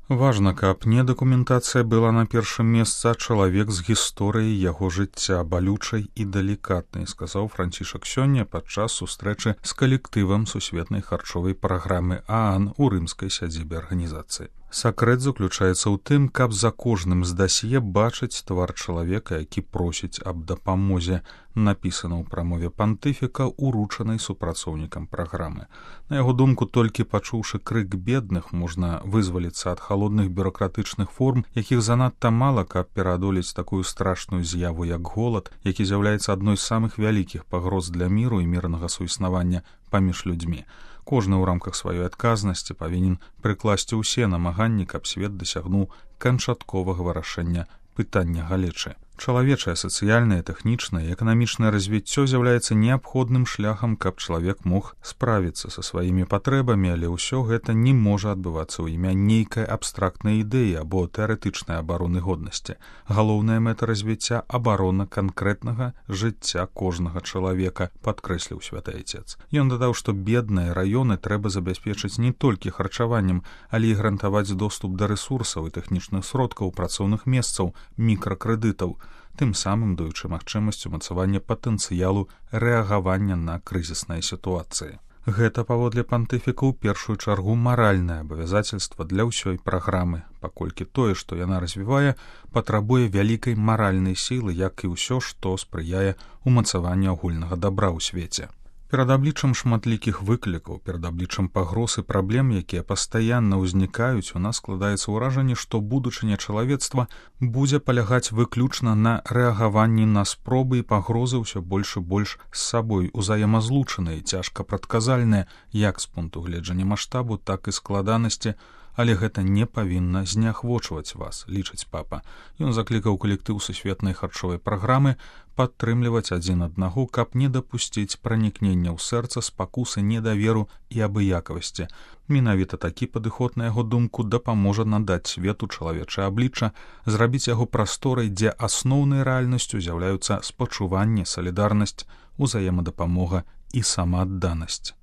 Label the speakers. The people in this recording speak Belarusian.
Speaker 1: Важна, каб не дакументацыя была на першым месцы, а чалавек з гісторыяй яго жыцця, балючай і далікатнай, сказаў Францішак сёння падчас сустрэчы з калектывам сусветнай харчовай праграмы ААН у рымскай сядзібе арганізацыі. Сакрэт заключаецца ў тым, каб за кожным з дасье бачыць твар чалавека, які просіць аб дапамозе, напісана ў прамове пантыфіка, уручанай супрацоўнікам праграмы. На яго думку, толькі пачуўшы крык бедных, можна вызваліцца ад халодных бюракратычных форм, якіх занадта мала, каб пераадолець такую страшную з'яву, як голад, які з'яўляецца адной з самых вялікіх пагроз для міру і мірнага суіснавання паміж людзьмі. Кожны ў рамках сваёй адказнасці павінен прыкласці ўсе намаганні, каб свет дасягнуў канчатковага вырашэння пытання галечы. Чалавечае, сацыяльнае, тэхнічнае і эканамічнае развіццё з'яўляецца неабходным шляхам, каб чалавек мог справіцца са сваімі патрэбамі, але ўсё гэта не можа адбывацца ў імя нейкай абстрактнай ідэі або тэарэтычнай абароны годнасці. Галоўная мэта развіцця — абарона канкрэтнага жыцця кожнага чалавека, падкрэсліў святы айцец. Ён дадаў, што бедныя раёны трэба забяспечыць не толькі харчаваннем, але і гарантаваць доступ да рэсурсаў і тэхнічных сродкаў, працоўных месцаў, мікракрэдытаў, тым самым даючы магчымасць умацавання патэнцыялу рэагавання на крызісныя сітуацыі. Гэта, паводле пантыфіка, у першую чаргу маральнае абавязацельства для ўсёй праграмы, паколькі тое, што яна развівае, патрабуе вялікай маральнай сілы, як і ўсё, што спрыяе умацаванню агульнага дабра ў свеце. Перад абліччам шматлікіх выклікаў, перад абліччам пагроз і праблем, якія пастаянна ўзнікаюць, у нас складаецца ўражанне, што будучыня чалавецтва будзе палягаць выключна на рэагаванні на спробы і пагрозы ўсё больш і больш з сабой узаемазлучаныя, цяжка прадказальныя як з пункту гледжання маштабу, так і складанасці, але гэта не павінна зняхвочваць вас, лічыць папа. Ён заклікаў калектыў сусветнай харчовай праграмы падтрымліваць адзін аднаго, каб не дапусціць пранікнення ў сэрца, спакусы, недаверу і абыякавасці. Менавіта такі падыход, на яго думку, дапаможа надаць свету чалавечае аблічча, зрабіць яго прасторай, дзе асноўнай рэальнасцю з'яўляюцца спачуванне, салідарнасць, узаемадапамога і самаадданасць.